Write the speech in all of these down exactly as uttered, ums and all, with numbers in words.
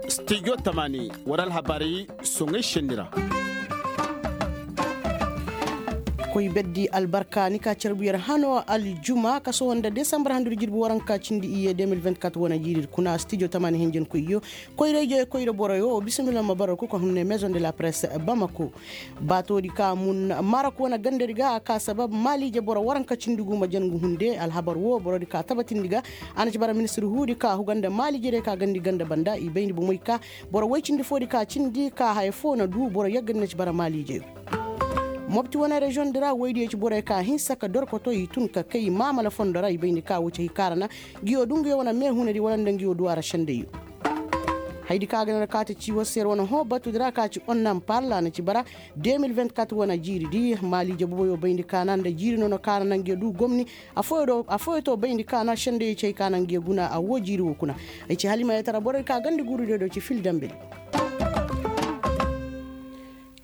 Stijo tamaani war alhabaari soŋay senni ra. Koy berdi albarka ni ka carbu yer hano aljuma ka sohõ nda desambar handu di jirbi waranka cindi iyye deux mille vingt-quatre wane jiiri kuna stijo tamaani hinjankoyyo koyra-ijey koyra boroyo bismillah ma bara ku ka hunne maison de la presse bamako. Baatoodi ka mun marok wane gandadi ga a ka sabab maaliije boro waranka cindi gu ma jangu hunde alhabar wo borodi ka tabatindi ga. A na ci bara ministir huudi ka huga nda maaliijediyo ka gandi ganda banda i bayndi bomey ka boro woy cindi foodi ka cindi ka haya fo na du boro yagga ni na ci bara maaliijeyo. Mopti wane reziyoŋ di ra woydiyo ci borey ka hinsa ka dorkoto i tun ka kay maamala fondo ra i bayndi ka wo ci hay kaarana. Ngiyo du ngiyo wane meehunadi wala nda ngiyo duw'a ra sendayyo. Hayadi ka ga na kaate ci war se yer wane hõ batudi ra ka ci onnan parla na ci bara deux mille vingt-quatre wane jiiri di maaliije boboyo bayndi kaana nda jiiri nono kaana nange du gomni. Afooyo to bayndi kaana sendayyo ci hay kaana nge guna a woo jiiri woo kuna. Ay ci halimayetara borey ka gandi guurudiyo do ci fil dambe di.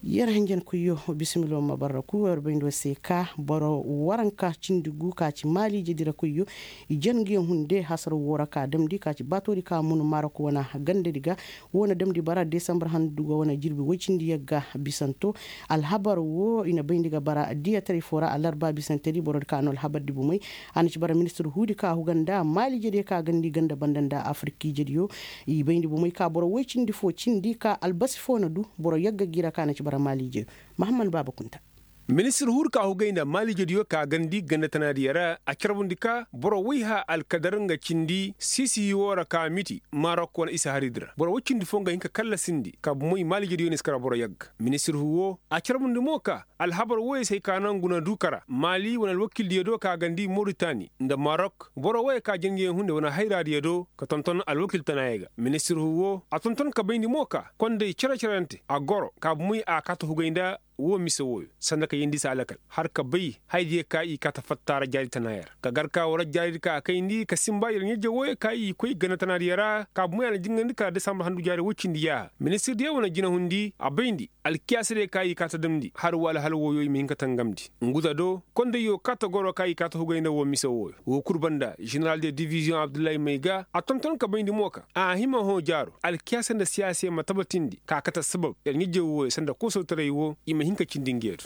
Yer hinjankoyyo bisimiloo ma barra ku yer bayndoo se ka boro waranka cindi gu ka ci maaliije dira koyyo. I jan ngiyo hunde hasara woo ra ka damndi ka ci baatoodi ka mun marok wana gandadi ga. Woo na damndi bara desambar handu ga wana jirbi woy cindi yagga bisanto. Alhabar woo i na bayndi ga bara diyataray foo ra alarba bisantedi boroodi ka no alhabardi bumay. A na ci bara ministir huudi ka huga nda maaliijediyo ka gandi ganda banda nda afirkiijediyo. I bayndi bomey ka boro woy cindi foo cindi ka albasi foo na du boro yagga gi ra ka na ci bara maaliijeyo. Mahammad baaba kunta. Ministir huudi ka hugay nda maaliijediyo ka gandi ganda tanaadiyo ra a carbundi ka boro woy ha alkadar nga cindi siisihi woo ra ka miti marok wane isa haridi ra boro woy cindi foo nga hin ka kallasindi ka bomey maaliijediyo na si kara boro yagga ministir huudi woo a carbundi mo ka alhabar wooyo se hay ka naŋ guna du kara maali wane alwakildiyo do ka gandi moritani nda marok boro wooyo ka jangiyaŋ hunde wane hayraadiyo do ka tonton alwakil tanaayo ga ministir huudi woo a tonton ka bayndi mo ka konday cere-cerante a goro ka bomey a kaata hugay nda woo mise wooyo sanda ka yeendi se alakal har ka bay hayadiyo ka i kaata fatta ra jaari tanaayo ra ka gar ka war jaaridi ka a kayndi ka sinba yer ɲa-ije wooyo ka i koy ganda tanaadiyo ra ka bomey a na jingandi kala desambar handu jaari woy cindi yaaha ministirdiyo wane jinahundi a bayndi alkiyaasadiyo ka i kaata damndi har wa alhal wooyo i ma hin ka tangamndi. Nguza do kondayyo kaata goro ka i kaata hugay nda woo mise wooyo woo kul banda ženeral de diviziyoŋ abdullahi may ga a tonton ka bayndi mo ka a hima hõ jaaro alkiyaasa nda siyaasey ma tabatindi ka kate sabab yer ɲa-ije wooyo sanda koosawtaray woo i ma hin ka cindi ngeedu.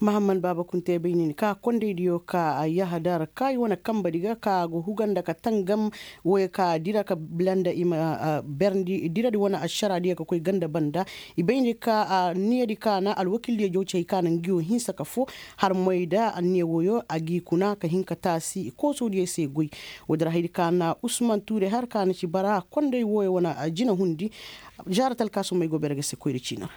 Mahammad baaba kunte bay nin ka kondaydiyo ka yahadar ka i wane kambadi ga ka go huga nda ka tangam wooyo ka dira ka bila nda i ma berndi diradi wane ašaraadiyo ka koy ganda banda. I bayndi ka anniyadi ka na alwakildiyo jaw ci hay ka na ngiyo hinsa ka foo har moy da anniya wooyo a g'i kuna ka hin ka taasi koosawdiyo se goy. Woodi ra hayadi ka na usman tuure har ka na ci bara konday wooyo wane jina hundi. Žaara talkaasumey go bere ga se koyra ciini ra.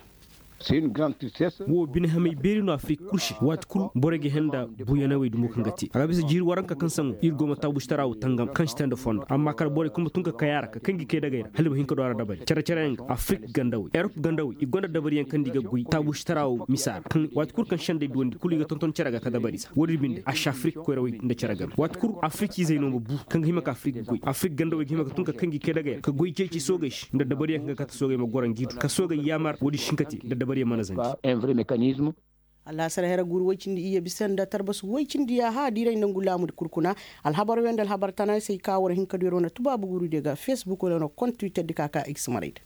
Wo bine hamey beeri no afirik kul se waati kul borey ga henda buyanawey dumo kaŋ ga te a ga bisa jiiri waranka kaŋ saŋo ir go ma taabustaraa wo tangam kaŋ si te nda fondo amma kala borey kul ma tun ka kay a ra ka kaŋ gi kay dagey ra hala i ma hin ka du a ra dabari care-careyaŋ ga afirik gandawey erop gandawey i gonda dabariyaŋ kaŋ nda i ga goy taabustaraa wo misa ra kaŋ waati kul kaŋ sendey duwandi kul i ga tonton care ga ka dabari se woodin binde a si afirik koyrawey nda care game waati kul afirik izey no ma bu kaŋ ga hima ka afirik goy afirik gandawey ga hima ka tun ka kaŋ gi kay dagey ra ka goy ceeci soogey se nda dabariyaŋ kaŋ ga kate soogey ma goro ngi du ka soogey yaamar woodin si hin ka te nda dabariyaŋ mana zanji. Alaasar hera guuru woy cindi iyye bisa nda tarbasu woy cindi yaaha diiray nda ngu laamudi kul kuna. Alhabar wey nda alhabar tanaay se i ka war hin ka du yer wane tubaabu guurudiyo ga facebook wala wane kont twitter di ka ka x marayda.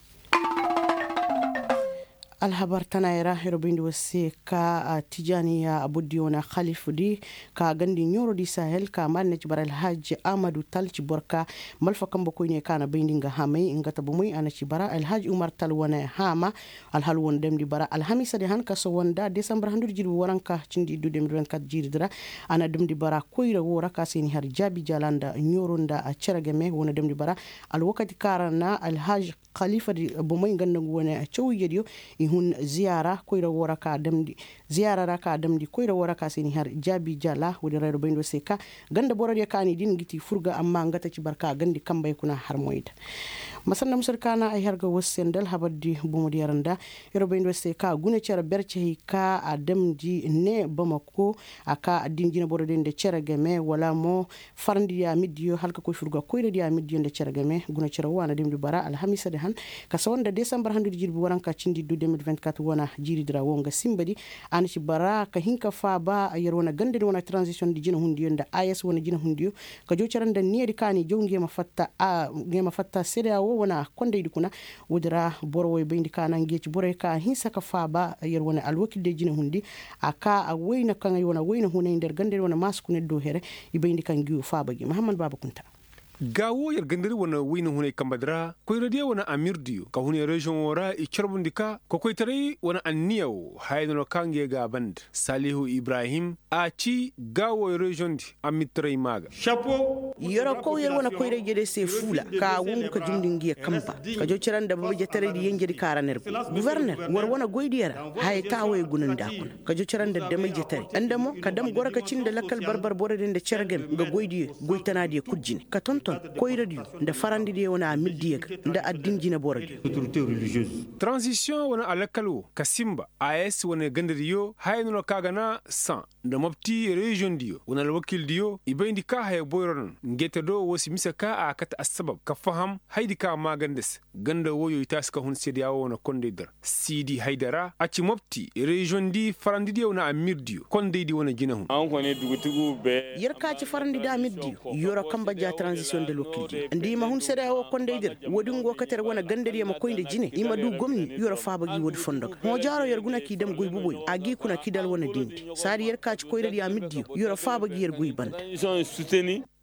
Alhabar tanaay ra yer bayndi war se ka tijaaniya aburdiyo wane halifudi ka gandi ɲoorodi sahel ka maali na ci bara alhaji ahmadu tal ci boro ka malfa kambe koyne ka na bayndi nga hamay nga ta bomey a na ci bara alhaji umar tal wane haama. Alhal wo na damndi bara alhamiisadi han ka sohõ nda desambar handudi jirbi waranka cindi iddu deux mille vingt-quatre jiiridi ra. A na damndi bara koyra woo ra ka se ni har jaabi jaala nda ɲooro nda cere game wo na damndi bara alwakati ka ra na alhaj kaliifadi bomey nga nda ngu wane caw ijediyo. I hun ziyaara koyra woo ra ka damndi ziyaara ra ka damndi koyra woo ra ka se ni har jaabi jaala woodin ra yer bayndi war se ka ganda borodiyo ka ni din ga ti furga amma nga ta ci bara ka gandi kambey kuna har moyda. Masanda musadi ka na ay har ga war se nda alhabardi bomo diyaŋ ra nda. Yer bayndi war se ka guna cere bercehey ka a damndi ne bamako a ka addin jineboro diyaŋ nda cere game wala mo farandi diya mirdiyo hala ka koy fur ga koyradiya mirdiyo nda cere game guna cere wo a na damndi bara alhamiisadi han ka sawa nda desambar handudi jirbi waranka cindi du de mil vingt-quatre wana jiiridi ra wo nga simbadi. A na ci bara ka hin ka faaba yer wane gandadi wane transition di jinehundiyo nda a s wane jinehundiyo ka jaw cere nda niyadi ka a n'i jaw nga yer ma fatta sedeya wo wane kondaydi kuna. Woodi ra boro wo i bayndi ka na nga yer ci borey ka a hinsa ka faaba yer wane alwakildiyo jinehundi a ka a wayna kaŋ ay wane wayna hunay nda yer gandadi wane maasi kuna yer do here. I bayndi ka ngi wo faaba gi mahammad baaba kunta. Gaa wo yer gandadi wane wayna hunay kambadi ra koyradiyo wane amirdiyo ka hunay reziyoŋ wo ra i carbundi ka kokoytaray wane anniya wo haya no no ka nga yer ga a banda salihu ibrahim a ci gaa wo reziyoŋ di amirtaray maa ga. Yer kow yer wane koyra-ijediyo se fuula ka a wongu ka jumndi ngi yer kamba ka jaw cere nda bama-ijetaray di yenjedi ka ra na yer goy guforner war wane goydiyo ra. Haya taawo yer gunandi a kuna ka jaw cere nda dama-ijetaray nda mo ka dam goro ka cin nda lakkal barbar borodiyo nda cere game nga goydiyo goy tanaadiyo kul jine ka tonton koyradiyo nda farandidiyo wane amirdiyo ga nda addin jineborodiyo. Transisiyoŋ wane alakal wo ka sinba a s wane gandadiyo haya no no ka ga na san nda mopti reziyoŋdiyo wane alwakildiyo i bayndi ka haya boyro naŋ ngeete do wo si mise ka a kate assabab ka faham hayadi ka maaganda se. Ganda woyo i taasi ka hun seedeya wo wane kondaydi ra siidi haydara a ci mopti reziyoŋdi farandidiyo wane amirdiyo kondaydi wane jinehun. Yer ka ci farandi da amirdiyo yoro kamba ja transisiyoŋ nda alwakildiyo nda i ma hun seedeya wo kondaydi ra woodi ngo kate ra wane gandadiyo ma koy nda jine i ma du gomni yoro faaba gi woodi fondo ga hõ jaaro yer guna k'i dam goy boboyo a g'i kuna k'i dal wane dindi saadi yer ka ci koyradiyo amirdiyo yoro faaba gi yer goy banda.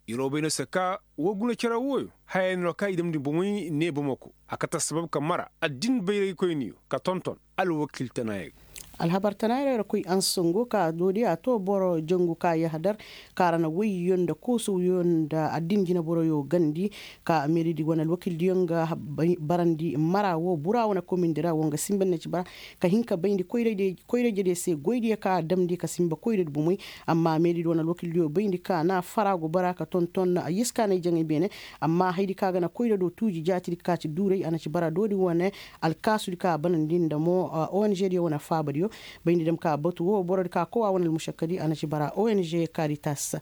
Yeroo bay no se ka woo guna cere wooyo haya no ka i damndi bomey ne bomoko a kate assabab ka mara addin bayraykoyniyo ka tonton alwakil tanaayey ga. Alhabar tanaayey ra koy ansongo ka doodi a to boro jangu ka yahadar ka ra na woyyo nda koosowyo nda addin jineboroyo gandi ka meeridi wane alwakildiyo nga barandi mara woo bura wane komindi ra woo nga sinba ne ci bara ka hin ka bayndi koyraydiyo se goydiyo ka a damndi ka sinba koyradi bomey. Amma meeridi wane alwakildiyo bayndi ka na fara go bara ka tonton yiskaanay jaŋay beene. Amma hayadi ka ga na koyra do tuuji jaatidi ka ci duuray a na ci bara doodi wane alkaasudi ka a banandi nda mo ong diyo wane faabadiyo. Bayndi dam ka batu wo borodi ka kowa wane almušakkadi a na ci bara ong karitas.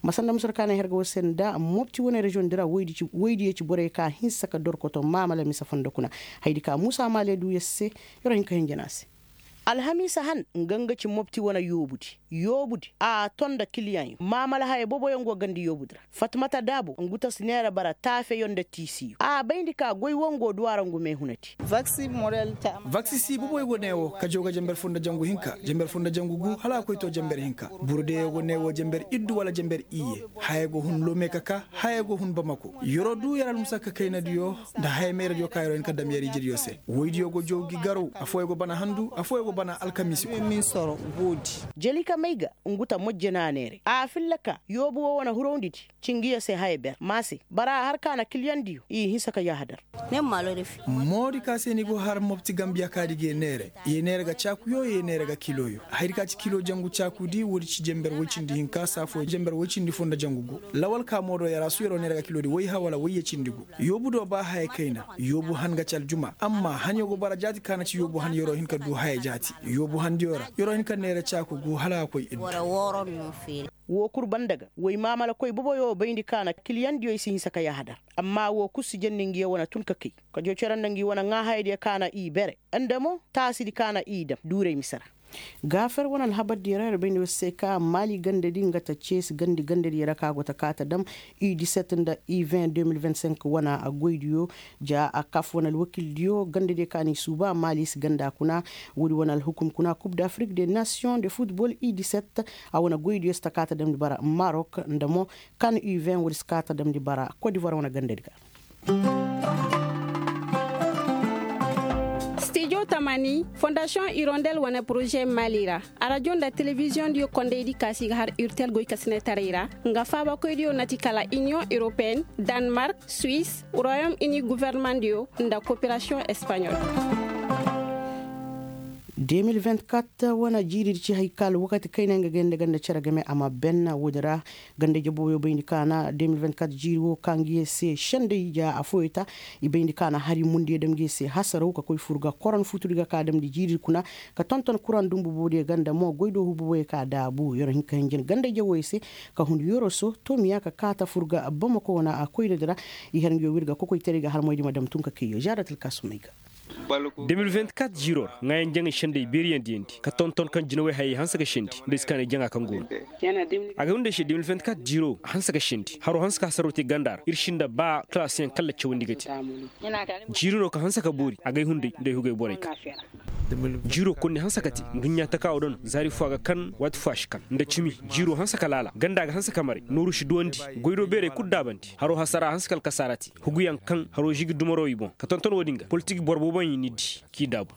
Masanda musar ka na ay har ga war se nda mopti wane reziyoŋ di ra woydiyo ci borey ka hinsa ka dorkoto maamala mise fondo kuna. Hayadi ka muusa maale duu yer se. Yer wo hin ka hinja no a se. Alhamiisa han nga nga ci mopti wane yoobudi. Yoobudi a ton nda kiliyaŋyo maamala haya boboyo ngo gandi yoobudi ra. Fatmata daabo ngu ta si neera bara taafeyo nda tiisiyo a bayndi ka goy wo ngo duw'a ra ngu meehunadi. Vaksi si boboyo go ne wo ka jaw ga jenber foo nda jangu hinka jenber foo nda jangu gu hala a koy to jenber hinka. Burdeyo go ne wo jenber iddu wala jenber iyye. Haya go hun lome ka ka haya go hun bamako. Yeroo duu yer almusakka kaynadiyo nda haya meeradiyo ka yeroo hin ka dam yer ijediyo se woydiyo go jaw gi garaw. Affooyo go bana handu affooyo go bana alkamiisi. Jelika may ga ngu ta mojje no a neeray a filla ka yoobu woo wane hurawndidi. Ci ngiyo se haya ber ma se bara a har ka na kiliyaŋdiyo i hinsa ka yahadar. Moodi ka se ni go har mopti gambiya kaadi ga ye neere. Ye neere ga caakuyo ye neere ga kiloyo. Hayadi ka ci kilo jangu caakudi woodi ci jenber woy cindi hinka saafo jenber woy cindi foo nda jangu gu. Lawal ka moodo yara su yeroo neere ga kilodi woyha wala woyye cindi gu. Yoobu do ba haya kayna. Yoobu han ga ci aljuma amma hanyo go bara jaati ka na ci yoobu han yeroo hin ka duu haya jaati. Yoobu handiyo ra yeroo hin ka neere caaku gu hala a koy iddu. Woo kul banda ga woy maamalakoy boboyo bayndi ka na kiliyaŋdiyo i si hinsa ka yahadar. Amma woo kul si jendi ngiyo wane tun ka kay. Ka joo cere nda ngi wane ŋaahayadiyo ka na i bere nda mo taasidi ka na i dam duuray mise ra. Gaafer wane alhabardiyo ra yer bayndi war se ka maali gandadi nga ta ceesi gandi gandadiyo ra ka go ta kaa ta dam i diset nda i vint deux mil vint cinq wane goydiyo. Ja a kaf wane alwakildiyo gandadiyo ka n'i suuba maali si ganda kuna. Woodi wane alhukum kuna kub d'afrik de nasiyoŋ de futbol i diset. A wane goydiyo si ta kaa ta damndi bara marok nda mo kan u vint woodi si kaa ta damndi bara kodivoir wane gandadi ga. Stijo tamani fondasiyoŋ irondel wane poroze mali ra. Arajo nda telebiziyoŋdiyo kondaydi ka si ga har urtel goykasinetaray ra. Nga faabakoydiyo na ti kala iniyoŋ europeen, danmark, suwis, royom ini guvernemandiyo nda koperasiyoŋ espanyol. Wane jiiri di ci hay ka alwakati kayna nga gay nda ganda cere game a ma ben woodin ra. Ganda jaboyo bayndi ka na jiiri wo ka nga ye se sendey ja afoyo ta. I bayndi ka na hari mundiyo dam ga ye se hasaraw ka koy fur ga koron futudi ga ka damndi jiiri kuna. Ka tonton kuran dumbu boodiyo ganda mo goydoohu boboyo ka daabu yer hin ka hinjin ganda jaboyo se. Ka hun yoroso tomiya ka kaata fur ga bamako wane a koynadi ra. I har nga yo wir ga kokoytaray ga har moydi ma dam tun ka kayyo zaaratil kaasumey ga. Demil venti kat jiiro ra ŋaayan jaŋay sendey beeriyandiyandi ka tonton kaŋ jinawey hayey hanse ga sendi nda ay si kaanay jaŋa kaŋ go no. Agay hunday se demil venti kat jiiro hanse ga sendi haro hanse ka hasaroo te ganda ra ir si nda ba kalaasiyaŋ kalla cawandi ga te. Jiiro no ka hanse ka boori agay hunday nda ay hugay borey ka jiiro konni hanse ka te nduɲɲa taka wo daŋ zaari fo a ga kan waati fo a si kan nda cimi. Jiiro hanse ka laala ganda ga hanse ka maray nooru si duwandi goydo beerey kul daabandi haro hasara hanse ka alkasaara te. Huguyaŋ kaŋ haroo žigi dumaro i boŋ ka tonton wo-din ga politik boro booboyaŋ i n'i di k'i daabu.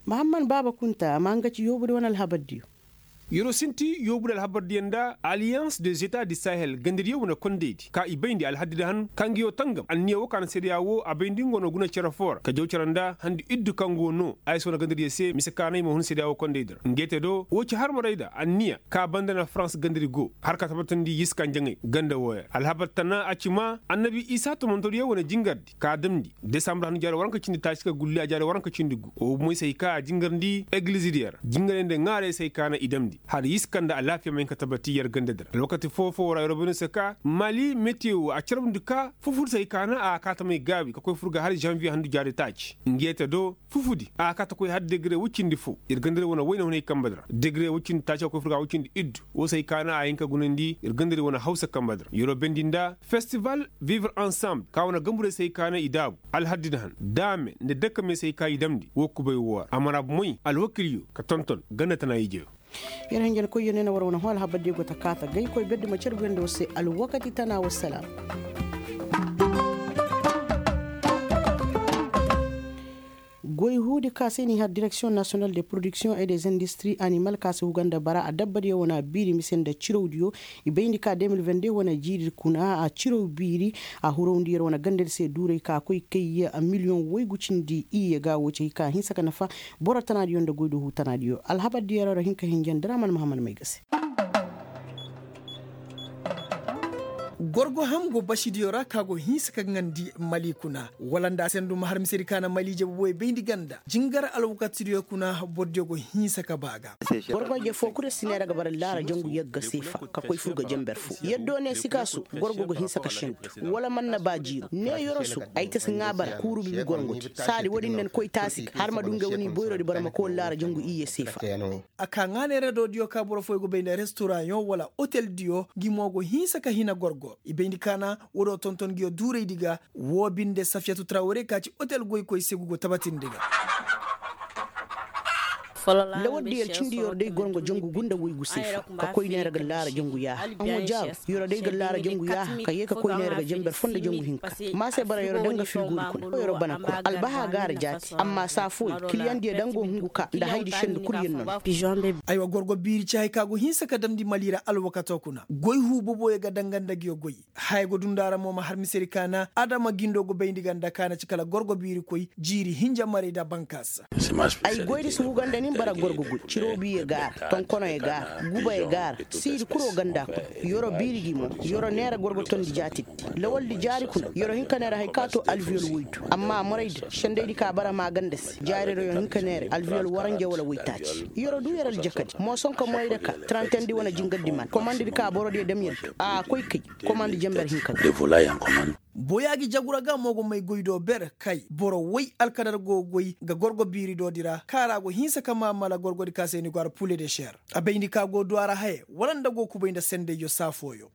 Mahamman baaba kunta a ma nga ci yoobudi wane alhabardiyo. Yeroo sinti yoobudi alhabardiyo nda aliyans de zeta di sahel gandadiyo wane kondaydi ka i bayndi alhaddi da han ka nga yoo tangam anniya woo ka na seedeya woo a bayndi nga wane guna cere foo ra ka jaw cere nda handi iddu kaŋ go no. Ay si wane gandadiyo se mise ka na i ma hun seedeya woo kondaydi ra nge te do woo ci harmarayda anniya ka banda na farans gandadi go har ka tabatandi yiskanjaŋey ganda wooya alhabar tana a ci ma annabi isa tomontoriyo wane jingardi ka damndi desambur hannu jaari waranka cindi taaci ka gulli a jaari waranka cindi gu woo moy se hay ka a jingarndi egilizidiyo ra jingarey nda ŋaarey se hay ka na i damndi hala yiskan nda alaafiya ma hin ka tabati yer gandadi ra alwakati foo-foo ra yeroo bay no se ka mali metiyo a carbundi ka fufudi se hay ka na a kaa tamay gaabi ka koy fur ga hala zanviye handu jaari taaci nge te do fufudi a kaa ta koy har degre woy cindi foo ir ganda ir wane wayne hunay kambadi ra degre woy cindi taaci a koy fur ga woy cindi iddu woo se hay ka na a hin ka gunandi ir ganda ir wane hawsa kambadi ra yeroo bendi nda festival vivre ensemble ka wane gamburey se hay ka na i daabu alhaddi na han daame nda dakame se hay ka i damndi woo kubay woo ra a mana moy alwakilyo ka tonton ganda tana ijeyo. Yer hanjan koyyo ne na war wane hõ alhabardiyo go ta kaata gay koy berdi ma carbuyaŋ nda war se alwakati tana wassalaam. Goy huudi ka se n'i har direksiyoŋ nasiyonal de poroduksiyoŋ e des industri animal ka se huga nda bara adabbadiyo wane a biiri mise nda cirawdiyo. I bayndi ka de mil vende wane jiiri kuna a ciraw biiri a hurawndi yer wane gandadi se duuray ka koy kay miliyoŋ waygu cindi iyye ga wo ci hay ka hinsa ka nafa. Boro tanaadiyo nda goydoohu tanaadiyo alhabardiyo ra hin ka hinja nda ra man mahammad may ga se. Gorgo ham go basidiyo ra ka go hinsa ka ŋandi mali kuna wala nda a se ndu ma har misedi ka na mali jabu boy bayndi ganda jingar alwakatidiyo kuna bordiyo go hinsa ka ba ga. Gorgo je fo kulu si neera ga bara laara jangu yagga seefa ka koy fur ga janber fo yaddo ne sikaasu gorgo go hinsa ka sendu wala man na ba jiiro ne yorosu ay ta si ŋaa bara kuuru bibi gorgo te saadi wo-din na ni koy taasi ga har ma du ngey wane i boyroodi bara ma koy wala laara jangu iyye seefa. A ka ŋaa neera doodiyo ka boro fooyaŋ go bay nda restoraŋyo wala oteldiyo ngi mo go hinsa ka hina gorgo i bayndi kaana wo-do tonton nguyo duuraydi ga. Woo binde safiyatu trawre ka ci otel goykoy se ngu go tabatindi ga. Lawaldi yer cindi yer day gorŋo jangu gunda woygu seefa ka koy neera ga laara jangu yaaha aŋwa jaaru. Yer day ga laara jangu yaaha ka yee ka koy neera ga janber fo nda jangu hinka. Maase bara yer daŋ ga fiigoori kuna yer bana kura albaha gaara jaati amma saa fooyaŋ kiliyaŋ diya daŋ go hungu ka nda haydi sendu kul yer no. Aywa gorgo biiri ci haya ka go hinsa ka damndi mali ra alwakato kuna goy huu boboyaŋ ga daŋ ga nda nguyo goy. Haya go dundara mo ma har misedi kaana adama gindo go bayndi ganda kaana ci kala gorgo biiri koy jiiri hinja maray nda bankaasa. Ay goydi si huga nda nin bara gorgo goy cirow biye gaara tonkonoye gaara gubaye gaara siidi kuro ganda kuna. Yoro biiri gi mo yoro neera gorgo tondi jaatidi lawaldi jaari kuna yoro hinka neera hay ka to alviyol woydu amma moraydi sendaydi ka bara maaganda se jaari ra yo hinka neera alviyol waranja wala woytaaci yoro du yer aljakadi moosonka morayda ka tarantendi wane jingardi man komandidi ka borodiyo damyaddu a koy kay. Komandi janber hinka ga. Boyaa gi jagu ra ga mo go may goy do ber kay boro woy alkadar go goy ga gorgo biiri doodi ra kaara go hinsa ka maamala gorgodi ka se ni go ara pule de ser. A bayndi ka go du a ra haye wala nda go kubay nda sendayyo saa fooyo.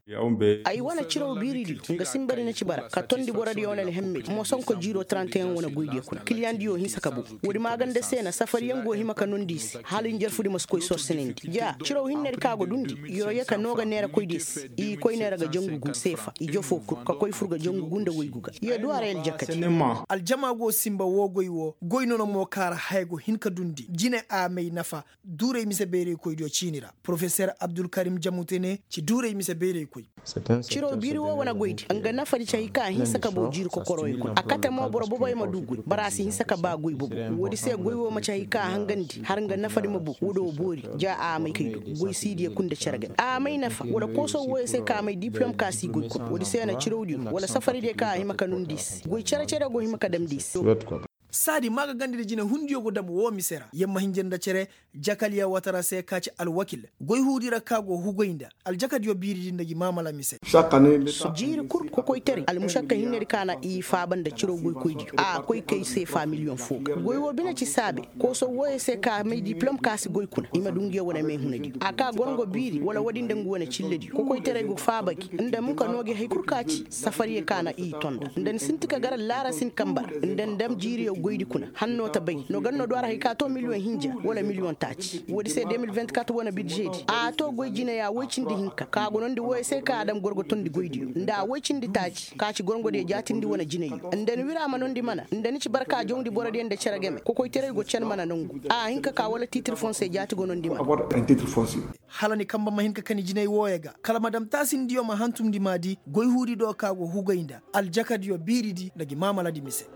Ay wane ciraw biiridiyo nga sinbadi na ci bara ka tondi borodiyo wane alhemmedi moosonko jiiro taranteyaŋ wane goydiyo kuna kiliyaŋdiyo hinsa ka bow. Woodi maaganda se na safariyaŋ go hima ka nondi i se hala njarfudi ma si koy sorsanandi ja ciraw hinnedi ka go dundi. Yoro ye ka noo ga neera koydiyo se i koy neera ga jangu gu seefa i jofoo kul ka koy fur ga jangu. Gunda waygu ga ya du a ra aljakadi. Aljama go sinba woo goy woo goy nono mo ka ra haya go hin ka dundi jine a may nafa. Duuray mise bayraykoydiyo ciini ra porofeser abdulkarim jamute ne ci duuray mise bayraykoy. Ciraw biiri woo wane goydi nga nafadi ci hay ka a hinsa ka boo jiiri kokoroyo kuna a kate mo boro boboyo ma du goy boro a si hinsa ka ba goy bobo. Woodi se goy woo ma ci hay ka a hangandi har nga nafadi ma boo woodi woo boori. Ja a may kay do goy siidiyo kul nda cere game a may nafa wala kooso wooyo se ka a may diplom ka si goy kuna woodi se na cirawdiyo wala safaridiyo ka a hima ka nundi i se goy cere cere go hima ka damndi i se. Saadi maagagandi nda jinehundiyo go dam woo mise ra yer ma hinja nda cere. Jakaliya watara se ka ci alwakil goyhuudi ra ka go hugoy nda aljakadiyo biiridi nda ngi maamala mise. Jiiri kul kokoytaray almušakka hinnedi ka na i faaba nda ciraw goykoydiyo a koy kay seefa miliyoŋ foo ga goy woo bine ci saabe. Kooso wooyo se ka may diplom ka si goy kuna i ma du nguyo wane meehunadiyo a ka gorngo biiri wala woodi nda ngu wane cillediyo kokoytaray go faaba gi nda muka noo gi hay kul ka ci safariyo ka na i tonda nda ni sinti ka gar laara sin kamba ra nda ni dam jiiriyo goydi kuna hanno ta bay no gar no du a ra hay ka too miliyoŋ hinja wala miliyoŋ taaci woodi se de mil vingt-kat wane birzeedi a too goy jineya woy cindi hinka ka gonondi wooyo se ka a dam gorgo tondi goydiyo nda a woy cindi taaci ka ci gorngodiyo jaatindi wane jineyyo nda ni wira ma nondi mana nda ni ci barka jawndi borodiyo nda cere game kokoytaray go cen mana nongu a hin ka ka wala tiitir fonse jaati gonondi mana. Hala ni kamba ma hin ka kani jinay wooyo ga kala ma dam taasindiyo ma hantumndi maadi goy huudi do ka go hugay nda aljakadiyo biiridi nda ngi maamaladi mise.